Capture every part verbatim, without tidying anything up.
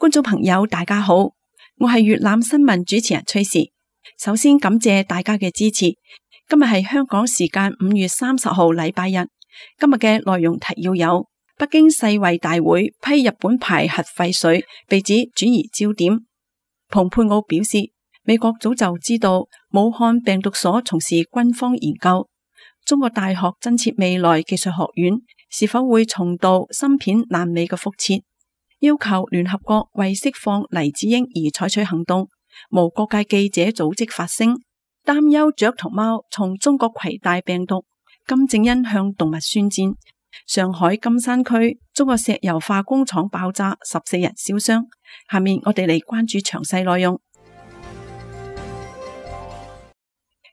觀眾朋友大家好，我係粵覽新聞主持人崔氏。首先感謝大家嘅支持。今日係香港時間五月三十號禮拜日。今日嘅內容提要有：北京世衛大會批日本排核廢水，被指轉移焦點。蓬佩奧表示，美國早就知道武漢病毒所從事軍方研究。中國大學增設未來技術學院，是否會重蹈芯片爛尾嘅覆轍？要求聯合國為釋放黎智英而採取行動。無國界記者組織發聲，擔憂雀同貓從中國攜帶病毒。金正恩向動物宣戰。上海金山區中國石油化工廠爆炸，十四人燒傷。下面我哋嚟關注詳細內容。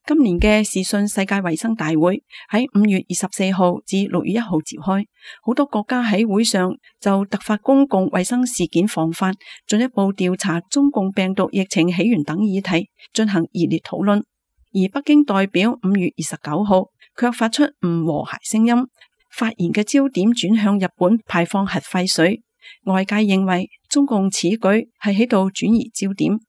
今年嘅視訊世界衛生大會喺五月二十四號至六月一號召開，好多國家喺會上就突發公共衛生事件防範、進一步調查中共病毒疫情起源等議題進行熱烈討論。而北京代表五月二十九號卻發出唔和諧聲音，發言嘅焦點轉向日本排放核廢水。外界認為中共此舉係喺度轉移焦點。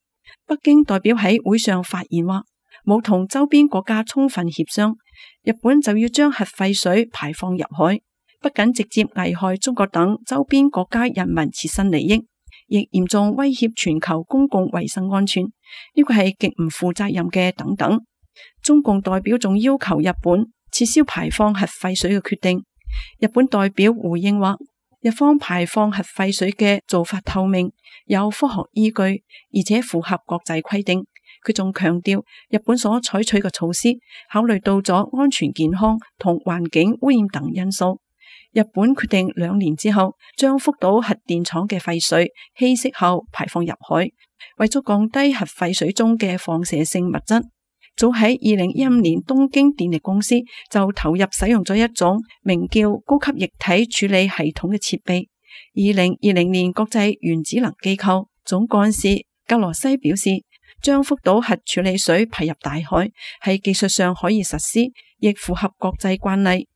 北京代表喺會上發言話，冇同周邊國家充分協商，日本就要將核廢水排放入海，不僅直接危害中國等周邊國家人民切身利益，亦嚴重威脅全球公共衛生安全，呢個係極唔負責任嘅等等。中共代表仲要求日本撤銷排放核廢水嘅決定。日本代表回應話，日方排放核廢水嘅做法透明，有科學依據，而且符合國際規定。佢仲強調，日本所採取嘅措施考慮到咗安全健康同環境污染等因素。日本決定兩年之後將福島核電廠嘅廢水稀釋後排放入海，為咗降低核廢水中嘅放射性物質。早喺二零一五年，東京電力公司就投入使用咗一種名叫高級液體處理系統嘅設備。二零二零年，國際原子能機構總幹事格羅西表示，將福島核處理水排入大海係技術上可以實施，亦符合國際慣例。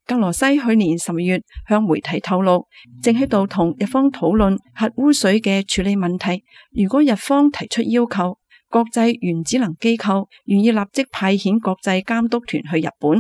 格羅西去年十月向媒體透露，正喺度同日方討論核污水嘅處理問題。如果日方提出要求，國際原子能機構願意立即派遣國際監督團去日本。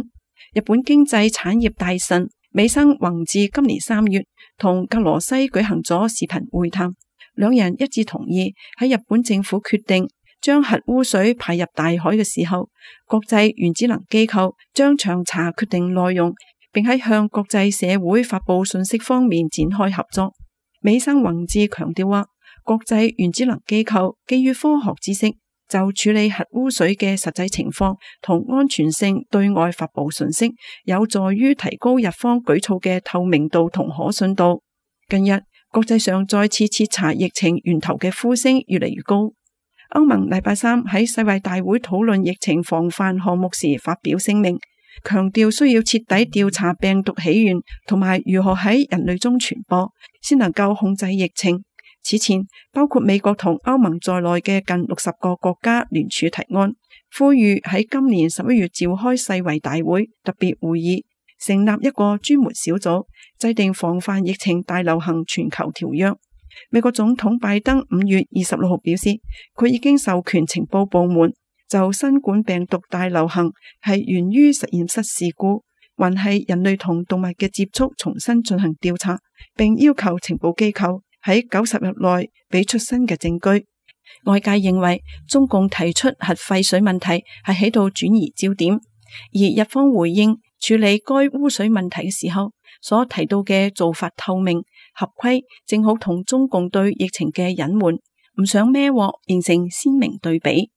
日本經濟產業大臣美生宏志今年三月同格羅西舉行咗視頻會談，兩人一致同意喺日本政府決定將核污水排入大海嘅時候，國際原子能機構將詳查決定內容，並喺向國際社會發佈信息方面展開合作。美生宏志強調話，國際原子能機構基於科學知識，就處理核污水嘅實際情況同安全性對外發佈信息，有助於提高日方舉措嘅透明度同可信度。近日，國際上再次徹查疫情源頭嘅呼聲越嚟越高。歐盟禮拜三喺世衛大會討論疫情防範項目時發表聲明，強調需要徹底調查病毒起源同埋如何喺人類中傳播，先能夠控制疫情。此前，包括美國同歐盟在內嘅近六十個國家聯署提案，呼籲喺今年十一月召開世衛大會特別會議，成立一個專門小組，制定防範疫情大流行全球條約。美國總統拜登五月二十六號表示，佢已經授權情報部門就新冠病毒大流行係源於實驗室事故，還係人類同動物嘅接觸重新進行調查，並要求情報機構喺九十日內俾出新嘅證據。外界認為中共提出核廢水問題係喺度轉移焦點，而日方回應處理該污水問題嘅時候所提到嘅做法透明合規，正好同中共對疫情嘅隱瞞唔想孭鑊形成鮮明對比。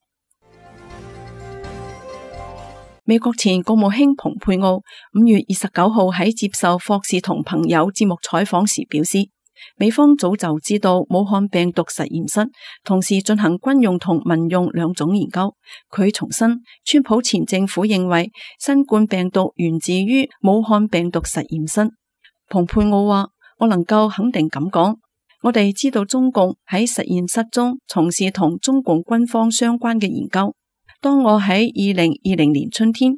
美國前國務卿蓬佩奧五月二十九號喺接受霍士同朋友節目採訪時表示，美方早就知道武漢病毒實驗室同時進行軍用同民用兩種研究。佢重申，川普前政府認為新冠病毒源自於武漢病毒實驗室。蓬佩奧話，我能夠肯定咁講，我哋知道中共喺實驗室中從事同中共軍方相關嘅研究。當我喺二零二零年春天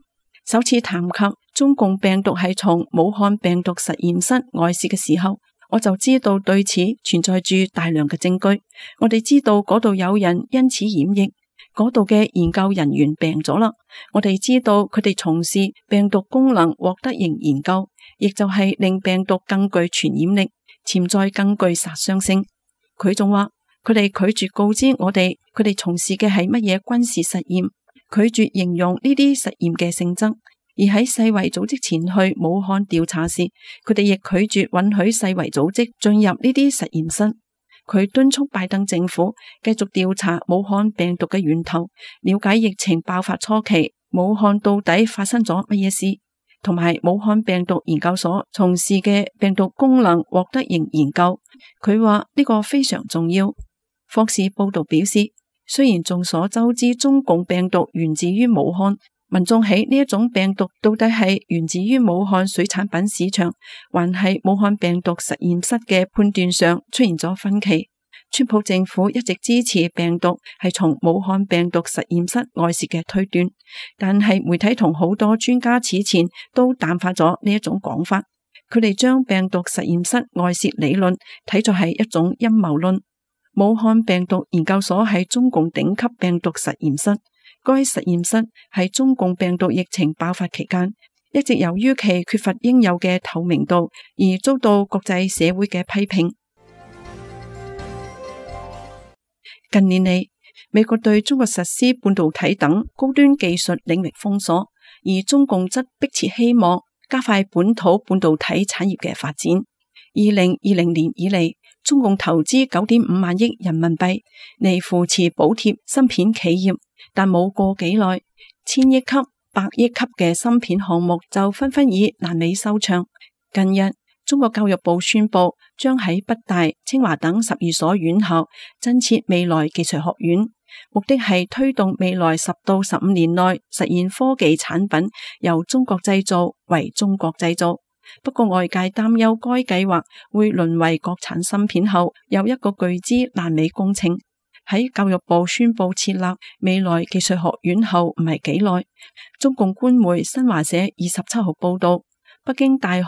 首次談及中共病毒係從武漢病毒實驗室外泄嘅時候，我就知道對此存在住大量嘅證據。我哋知道嗰度有人因此染疫，嗰度嘅研究人員病咗啦。我哋知道佢哋從事病毒功能獲得型研究，亦就係令病毒更具傳染力，潛在更具殺傷性。佢仲話佢哋拒絕告知我哋佢哋從事嘅係乜嘢軍事實驗，拒絕形容呢啲實驗嘅性質。而喺世衛組織前去武漢調查時，佢哋亦拒絕允許世衛組織進入呢啲實驗室。佢敦促拜登政府繼續調查武漢病毒嘅源頭，了解疫情爆發初期武漢到底發生咗乜嘢事，同埋武漢病毒研究所從事嘅病毒功能獲得型研究。佢話呢個非常重要。霍士報道表示，雖然眾所周知中共病毒源自於武漢，民眾喺呢一種病毒到底係源自於武漢水產品市場，還係武漢病毒實驗室嘅判斷上出現咗分歧。川普政府一直支持病毒係從武漢病毒實驗室外泄嘅推斷，但係媒體同好多專家此前都淡化咗呢一種講法。佢哋將病毒實驗室外泄理論睇作係一種陰謀論。武漢病毒研究所係中共頂級病毒實驗室。該實驗室喺中共病毒疫情爆發期間，一直由於其缺乏應有嘅透明度而遭到國際社會嘅批評。近年嚟，美國對中國實施半導體等高端技術領域封鎖，而中共則迫切希望加快本土半導體產業嘅發展。二零二零年以嚟，中共投資九點五萬億人民幣嚟扶持補貼芯片企業。但冇過幾耐，千億級、百億級嘅芯片項目就紛紛以爛尾收場。近日，中國教育部宣布將喺北大、清華等十二所院校增設未來技術學院，目的係推動未來十到十五年內實現科技產品由中國製造為中國製造。不過外界擔憂該計劃會淪為國產芯片後又一個巨資爛尾工程。喺教育部宣布設立未來技術學院後唔係幾耐，中共官媒新華社二十七號報道，北京大學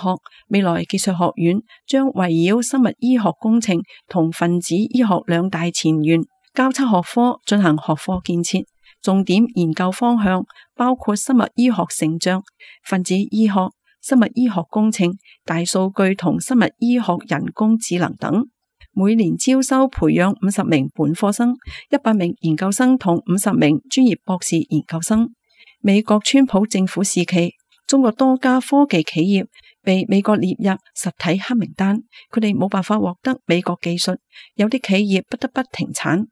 未來技術學院將圍繞生物醫學工程同分子醫學兩大前沿交叉學科進行學科建設，重點研究方向包括生物醫學成像、分子醫學、生物醫學工程、大數據同生物醫學人工智能等。每年招收培養五十名本科生、一百名研究生同五十名專業博士研究生。美國川普政府時期，中國多家科技企業被美國列入實體黑名單，佢哋冇辦法獲得美國技術，有啲企業不得不停產。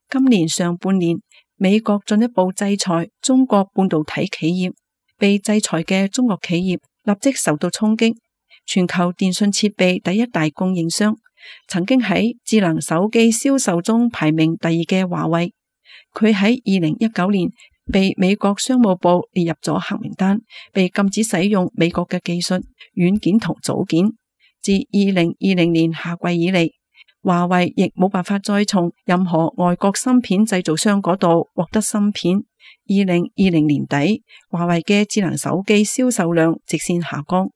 今年上半年，美國進一步制裁中國半導體企業，被制裁嘅中國企業立即受到衝擊。全球電信設備第一大供應商，曾經喺智能手機銷售中排名第二嘅華為，佢喺二零一九年被美國商務部列入咗黑名單，被禁止使用美國嘅技術、軟件同組件。自二零二零年夏季以嚟，華為亦冇辦法再從任何外國芯片製造商嗰度獲得芯片。二零二零年底，華為嘅智能手機銷售量直線下降。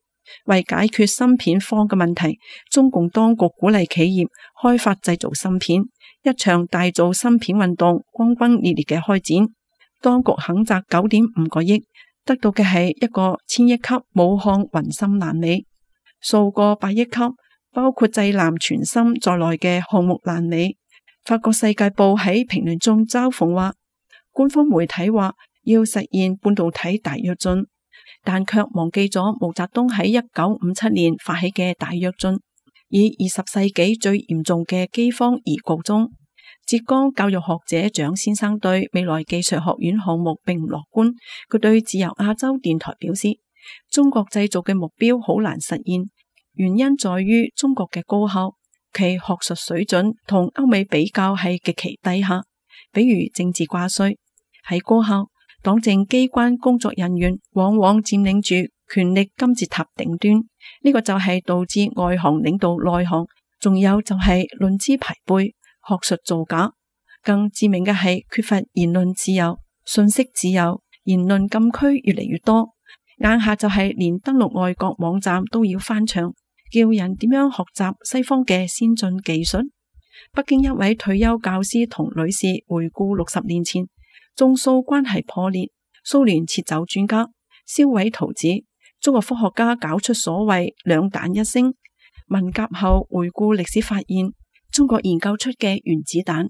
為解決芯片荒嘅問題，中共當局鼓勵企業開發製造芯片，一場大造芯片運動轟轟烈烈嘅開展。當局肯砸九點五個億，得到嘅係一個千億級武漢雲芯爛尾，數個百億級包括濟南全芯在內嘅項目爛尾。法國世界報喺評論中嘲諷話，官方媒體話要實現半導體大躍進，但卻忘記咗毛澤東喺一九五七年發起嘅大躍進，以二十世紀最嚴重嘅饑荒而告終。浙江教育學者蔣先生對未來技術學院項目並唔樂觀，佢對自由亞洲電台表示，中國製造嘅目標好難實現，原因在於中國嘅高校，其學術水準同歐美比較係極其低下，比如政治掛帥。喺高校，黨政機關工作人員往往佔領住權力金字塔頂端，呢、這個就係導致外行領導內行，仲有就係論資排輩、學術造假。更致命嘅係缺乏言論自由、信息自由，言論禁區越嚟越多。眼下就係連登錄外國網站都要翻牆，叫人點樣學習西方嘅先進技術。北京一位退休教師同女士回顧六十年前，中蘇關係破裂，蘇聯撤走專家，銷毀圖紙，中國科學家搞出所謂兩彈一星。文革後回顧歷史發現，中國研究出嘅原子彈，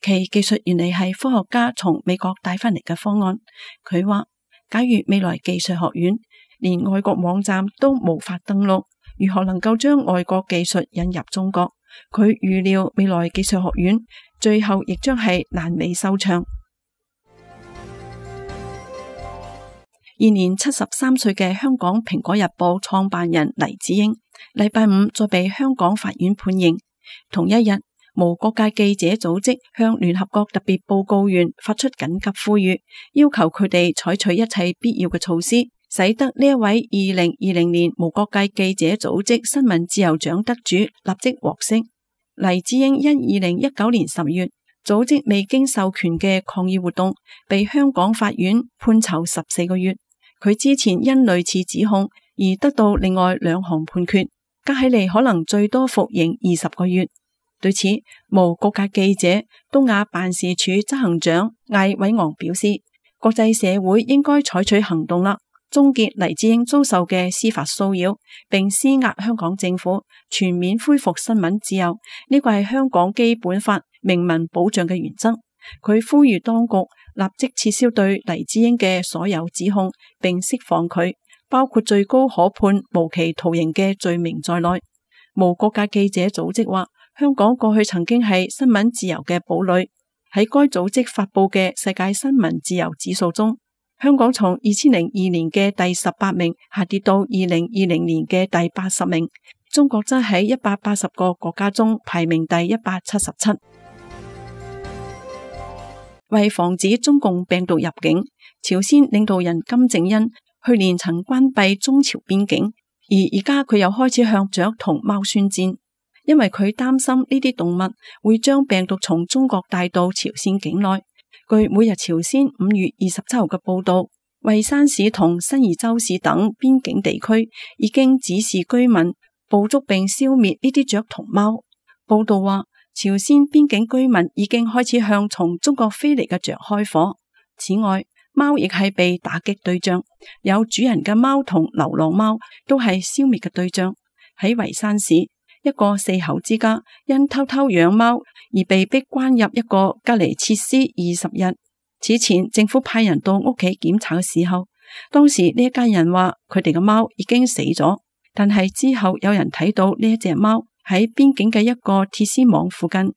其技術原嚟係科學家從美國帶翻嚟嘅方案。佢話，假如未來技術學院連外國網站都無法登錄，如何能夠將外國技術引入中國？佢預料未來技術學院最後亦將係爛尾收場。現年七十三歲嘅香港蘋果日報創辦人黎智英，禮拜五再被香港法院判刑。同一日，無國界記者組織向聯合國特別報告員發出緊急呼籲，要求佢哋採取一切必要嘅措施，使得呢一位二零二零年無國界記者組織新聞自由獎得主立即獲釋。黎智英因二零一九年十月組織未經授權嘅抗議活動，被香港法院判囚十四個月。佢之前因類似指控而得到另外兩項判決，加起嚟可能最多服刑二十個月。對此，無國界記者東亞辦事處執行長艾偉昂表示，國際社會應該採取行動啦，終結黎智英遭受嘅司法騷擾，並施壓香港政府全面恢復新聞自由。呢個係香港基本法明文保障嘅原則。佢呼籲當局立即撤銷對黎智英嘅所有指控，並釋放佢，包括最高可判無期徒刑嘅罪名在內。無國界記者組織話，香港過去曾經係新聞自由嘅堡壘。喺該組織發佈嘅世界新聞自由指數中，香港從二千零二年嘅第十八名下跌到二零二零年嘅第八十名。中國則喺一百八十個國家中排名第一百七十七。為防止中共病毒入境，朝鮮領導人金正恩去年曾關閉中朝邊境，而而家佢又開始向雀同貓宣戰，因為佢擔心呢啲動物會將病毒從中國帶到朝鮮境內。據每日朝鮮五月二十七號嘅報道，蔚山市同新義州市等邊境地區已經指示居民捕捉並消滅呢啲雀同貓。報道話，朝鮮邊境居民已經開始向從中國飛嚟嘅雀開火。此外，貓亦係被打擊對象，有主人嘅貓同流浪貓都係消滅嘅對象。喺蔚山市，一個四口之家因偷偷養貓而被逼關入一個隔離設施二十日。此前政府派人到屋企檢查嘅時候，當時呢一家人話佢哋嘅貓已經死咗，但係之後有人睇到呢一隻貓喺邊境嘅一個鐵絲網附近，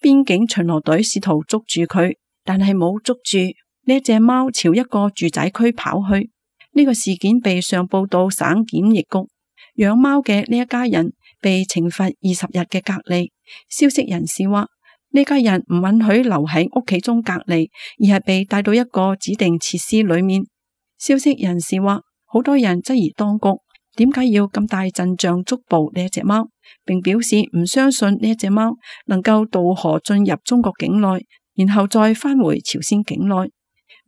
邊境巡邏隊試圖捉住佢，但係冇捉住。呢一隻貓朝一個住宅區跑去。呢個事件被上報到省檢疫局，養貓嘅呢一家人被懲罰二十日嘅隔離。消息人士話，呢家人唔允許留喺屋企中隔離，而係被帶到一個指定設施裏面。消息人士話，好多人質疑當局點解要咁大陣仗捉捕呢一隻貓，並表示唔相信呢一隻貓能夠渡河進入中國境內，然後再返回朝鮮境內。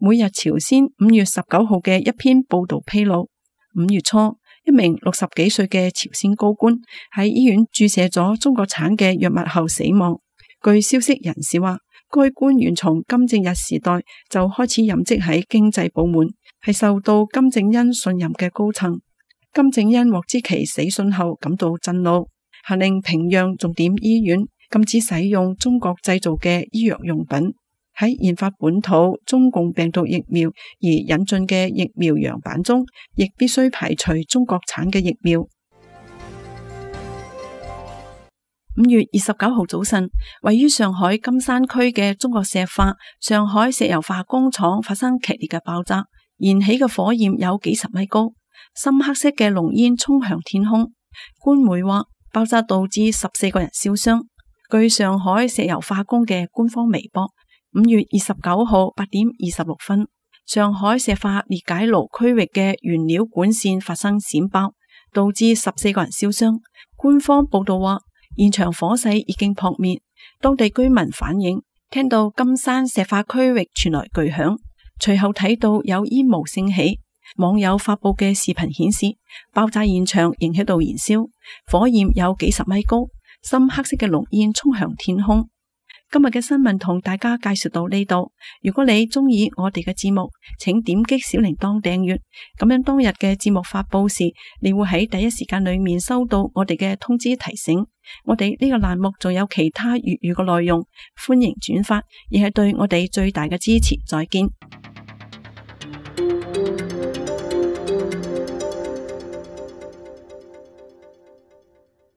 每日朝鮮五月十九號嘅一篇報道披露，五月初一名六十幾歲嘅朝鮮高官喺醫院注射咗中國產嘅藥物後死亡。據消息人士話，該官員從金正日時代就開始任職喺經濟部門，係受到金正恩信任嘅高層。金正恩獲知其死訊後感到震怒，下令平壤重點醫院禁止使用中國製造嘅醫藥用品。喺研發本土中共病毒疫苗而引進嘅疫苗樣板中，亦必須排除中國產嘅疫苗。五月二十九號早晨，位於上海金山區嘅中國石化上海石油化工廠發生劇烈嘅爆炸，燃起嘅火焰有幾十米高，深黑色嘅濃煙衝向天空。官媒話，爆炸導致十四個人燒傷。據上海石油化工嘅官方微博，五月二十九號八點二十六分，上海石化裂解爐區域嘅原料管線發生閃爆，導致十四個人燒傷。官方報道話，現場火勢已經撲滅。當地居民反映，聽到金山石化區域傳來巨響，隨後睇到有煙霧升起。網友發佈嘅視頻顯示，爆炸現場仍喺度燃燒，火焰有幾十米高，深黑色嘅濃煙衝向天空。今日嘅新聞同大家介紹到呢度。如果你中意我哋嘅節目，請點擊小鈴鐺訂閱，咁樣當日嘅節目發佈時，你會喺第一時間裏面收到我哋嘅通知提醒。我哋呢個欄目仲有其他粵語嘅內容，歡迎轉發，亦係對我哋最大嘅支持。再見。